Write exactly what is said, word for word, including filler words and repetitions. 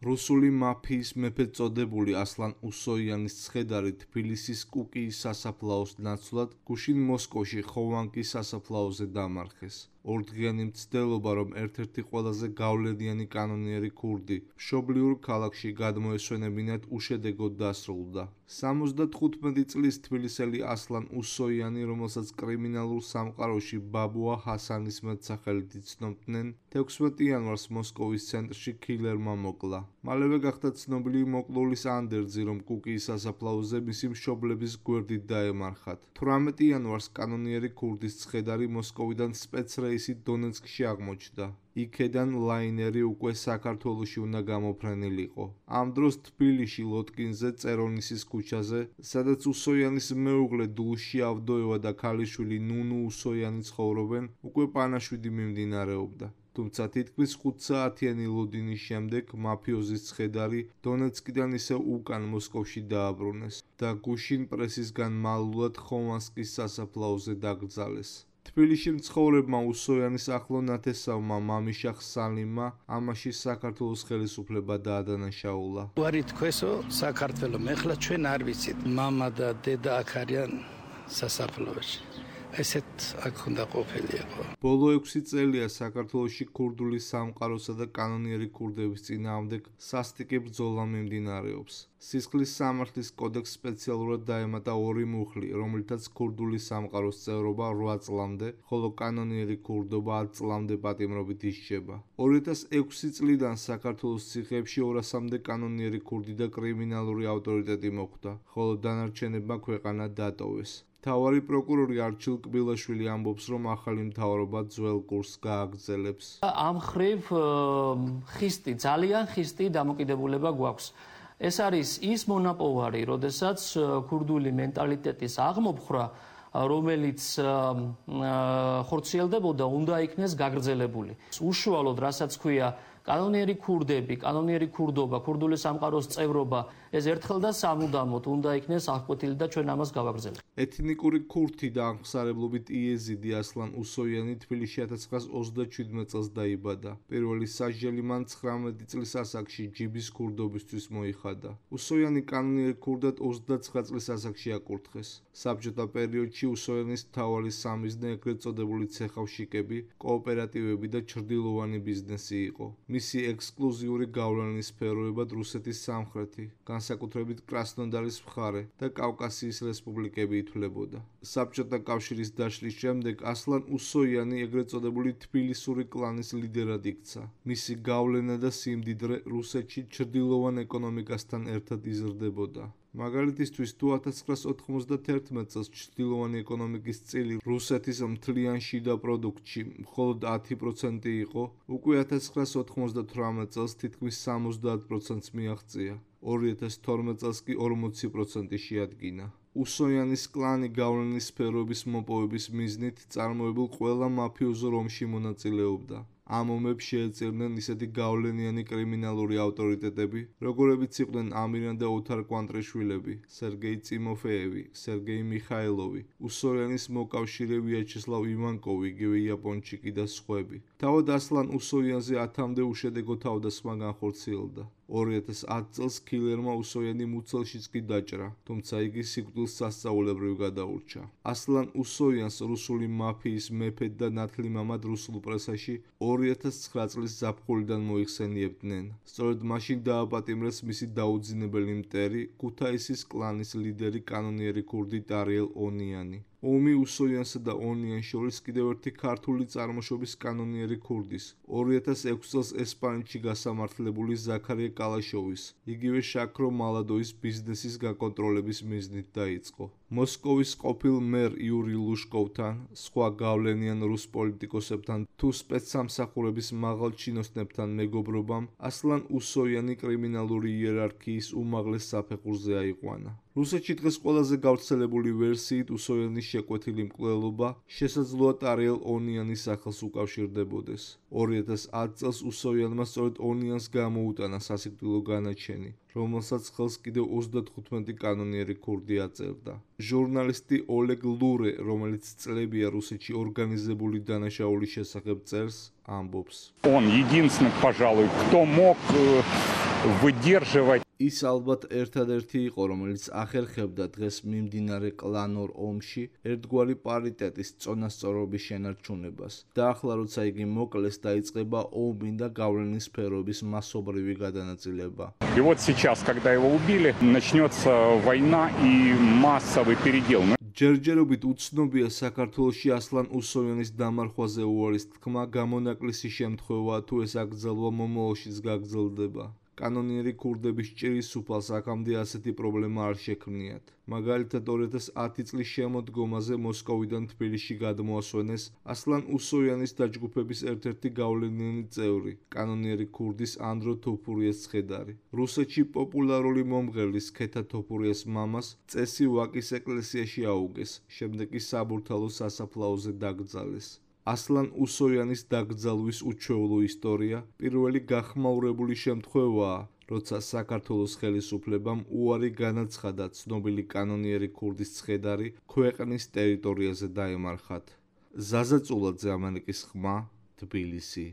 რუსული მაფიის მეფედ წოდებული ასლან უსოიანის ცხედარი თბილისის კუკიის სასაფლაოს ნაცვლად გუშინ მოსკოვში ხოვანკის სასაფლაოზე დამარხეს. ორდღიანი მცდელობა, რომ ერთ-ერთი ყველაზე გავლენიანი კანონიერი ქურდი მშობლიურ ქალაქში გადმოესვენებინათ, უშედეგოდ დასრულდა. სამოცდათხუთმეტი წლის თბილისელი ასლან უსოიანი, რომელსაც კრიმინალურ სამყაროში ბაბუა ჰასანის მეტსახელით იცნობდნენ, თექვსმეტი იანვარს მოსკოვის ცენტრში ქილერმა მოკლა. მალევე გახდა ცნობილი მოკლულის ანდერძი, რომ კუკიის სასაფლაოზე მისი მშობლების გვერდით დაემარხათ. თვრამეტი იანვარს კანონიერი ქურდის ცხედარი მოსკოვიდან სპეცრეისით დონეცკში აღმოჩნდა. იქედან ლაინერი უკვე საქართველოში უნდა გამოფრენილიყო. ამ დროს თბილისში ლოტკინზე წერონისის ქუჩაზე, სადაც უსოიანის მეუღლე დულში ავდოევა და ქალიშვილი ნუნუ უსოიანი ცხოვრობენ, უკვე პანაშვიდი მიმდინარეობდა. თუმცა თითქმის ხუთსაათიანი ლოდინის შემდეგ მაფიოზის ცხედარი დონეცკიდან ისევ უკან მოსკოვში დააბრუნეს და გუშინ პრესისგან მალულად ხოვანსკის სასაფლაოზე დაკრძალეს. თბილისში მცხოვრებმა უსოიანის ახლო ნათესავმა მამიშახ სალიმმა ამაში საქართველოს ხელისუფლება დაადანაშაულა. უარი თქვესო საქართველო, მეხლა ჩვენ არ ვიცით, მამა და დედა აქ არიან სასაფლაოში. ესეთ აქ უნდა ყოფილიყო. ბოლო ექვსი წელია საქართველოში ქურდული სამყაროსა და კანონიერი ქურდების წინააღმდეგ სასტიკი ბრძოლა მიმდინარეობს. სისხლის სამართლის კოდექსს სპეციალურად დაემატა ორი მუხლი, რომლითაც ქურდული სამყაროს წევრობა რვა წლამდე, ხოლო კანონიერი ქურდობა ათ წლამდე პატიმრობით ისჯება. ორი ათას ექვსი წლიდან საქართველოს ციხეებში ორასამდე კანონიერი ქურდი და კრიმინალური ავტორიტეტი მოხვდა, ხოლო დანარჩენებმა ქვეყანა დატოვეს. მთავარი პროკურორი არჩილ კბილაშვილი ამბობს, რომ ახალი მთავრობა ძველ კურსს გააგრძელებს. ამ ხრივ ხისტი, ძალიან ხისტი დამოკიდებულება გვაქვს. ეს არის ის მონაპოვარი, როდესაც ქურდული მენტალიტეტის აღმოფხვრა, რომელიც ხორციელდებოდა, უნდა იქნეს გაგრძელებული. უშუალოდ, რასაც ქვია კანონიერი ქურდები, კანონიერი ქურდობა, ქურდული სამყაროს წევრობა, ეს ერთხელ და სამუდამოდ უნდა იქნეს აღკვეთილი და ჩვენ ამას გავაგრძელებთ. ეთნიკური ქურთი და აღმსარებლობით იეზიდი ასლან უსოიანი თბილისში ათას ცხრაას ოცდაჩვიდმეტ წელს დაიბადა. პირველი სასჯელი მან ცხრამეტი წლის ასაკში ჯიბის ქურდობისთვის მოიხადა. უსოიანი კანონიერ ქურდად ოცდაცხრა წლის ასაკში აკურთხეს. საბჭოთა პერიოდში უსოიანის მთავარი სამიზნე ეგრეთ წოდებული ცეხავშიკები, კოოპერატივები და ჩრდილოვანი ბიზნესი იყო. მისი ექსკლუზიური გავლენის სფეროებად რუსეთის სამხრეთი, განსაკუთრებით კრასნოდარის მხარე და კავკასიის რესპუბლიკები ითვლებოდა. საბჭოთა კავშირის დაშლის შემდეგ ასლან უსოიანი ეგრეთ წოდებული თბილისური კლანის ლიდერად იქცა. მისი გავლენა და სიმდიდრე რუსეთში ჩრდილოვან ეკონომიკასთან ერთად იზრდებოდა. მაგალითისთვის, თუ ათას ცხრაას ოთხმოცდაათერთმეტ წელს ჩრდილოვანი ეკონომიკის წილი რუსეთის მთლიან შიდა პროდუქტში მხოლოდ ათი პროცენტი იყო, უკვე ათას ცხრაას ოთხმოცდათვრამეტ წელს თითქმის სამოცდაათ პროცენტს მიაღწია. ორი ათას თორმეტ წელს კი ორმოცი პროცენტი შეადგინა. უსოიანის კლანი გავლენის სფეროების მოპოვების მიზნით წარმოებულ ყველა მაფიოზო რომში მონაწილეობდა. ამ ომებს შეეწირნენ ისეთი გავლენიანი კრიმინალური ავტორიტეტები, როგორებიც იყვნენ ამირან და ოთარ კვანტრიშვილები, სერგეი წიმოფეევი, სერგეი მიხაილოვი, უსოიანის მოკავშირე ვიაჩესლავ ივანკოვი, იგივე იაპონჩიკი და სხვები. თავად ასლან უსოიანზე ათამდე უშედეგო თავდასხმა განხორციელდა. ორი ათას ათ წელს ქილერმა უსოიანი მუცელშიც კი დაჭრა, თუმცა იგი სიკვდილს სასწაულებრივ გადაურჩა. ასლან უსოიანს რუსული მაფიის მეფედ და ნათლი მამად რუსულ პრესაში ორი ათას ცხრა წლის ზაფხულიდან მოიხსენიებდნენ. სწორედ მაშინ დააპატიმრეს მისი დაუძინებელი მტერი, ქუთაისის კლანის ლიდერი კანონიერი ქურდი ტარიელ ონიანი. ომი უსოიანსა და ონიანს შორის კიდევ ერთი ქართული წარმოშობის კანონიერი ქურდის, ორი ათას ექვსი წელს ესპანეთში გასამართლებული ზაქარია კალაშოვის, იგივე შაქრო მალადოვის ბიზნესის გაკონტროლების მიზნით დაიწყო. მოსკოვის ყოფილ მერ იური ლუშკოვთან, სხვა გავლენიან რუს პოლიტიკოსებთან თუ სპეცსამსახურების მაღალ ჩინოსნებთან მეგობრობამ ასლან უსოიანი კრიმინალური იერარქიის უმაღლეს საფეხურზე აიყვანა. რუსეთში დღეს ყველაზე გავრცელებული ვერსიით უსოიანის შეკვეთილი მკვლელობა შესაძლოა ტარიელ ონიანის სახელს უკავშირდებოდეს. ორი ათას ათ წელს უსოიანმა სწორედ ონიანს გამოუტანა სასიკვდილო განაჩენი, რომელსაც ხელს კიდევ ოცდათხუთმეტი კანონიერი ქურდი აწერდა. ჟურნალისტი ოლეგ ლურე, რომელიც წლებია რუსეთში ორგანიზებული დანაშაულის შესახებ წერს, ამბობს. Он единственный, пожалуй, кто мог выдерживать. ის ალბათ ერთადერთი იყო, რომელიც ახერხებდა დღეს მიმდინარე კლანურ ომში ერთგვარი პარიტეტის წონასწორობის შენარჩუნებას. და ახლა როცა იგი მოკლეს, დაიწყება ომი და გავლენის სფეროების მასობრივი გადანაწილება. И вот сейчас, когда его убили, начнется война и массовый передел. ჯერჯერობით უცნობია საქართველოში ასლან უსოიანის დამარხვაზე უარის თქმა, გამონაკლისი შემთხვევაა თუ ეს აკრძალვა მომავალშიც გაგრძელდება. კანონიერი ქურდების ჭირის უფალს აქამდე ასეთი პრობლემა არ შექმნიათ. მაგალითად ორი ათას ათი წლის შემოდგომაზე მოსკოვიდან თბილისში გადმოასვენეს ასლან უსოიანის დაჯგუფების ერთ-ერთი გავლენიანი წევრი, კანონიერი ქურდის ანდრო თოფურიას ცხედარი. რუსეთში პოპულარული მომღერლის ქეთა თოფურიას მამას წესი ვაკის ეკლესიაში აუგეს, შემდეგ კი საბურთალო სასაფლაოზე დაკრძალეს. ასლან უსოიანის დაკრძალვის უჩვეულო ისტორია პირველი გახმაურებული შემთხვევაა, როცა საქართველოს ხელისუფლებამ უარი განაცხადა ცნობილი კანონიერი ქურდის ცხედარი ქვეყნის ტერიტორიაზე დაემარხათ. ზაზა წულაძე, ამერიკის ხმა, თბილისი.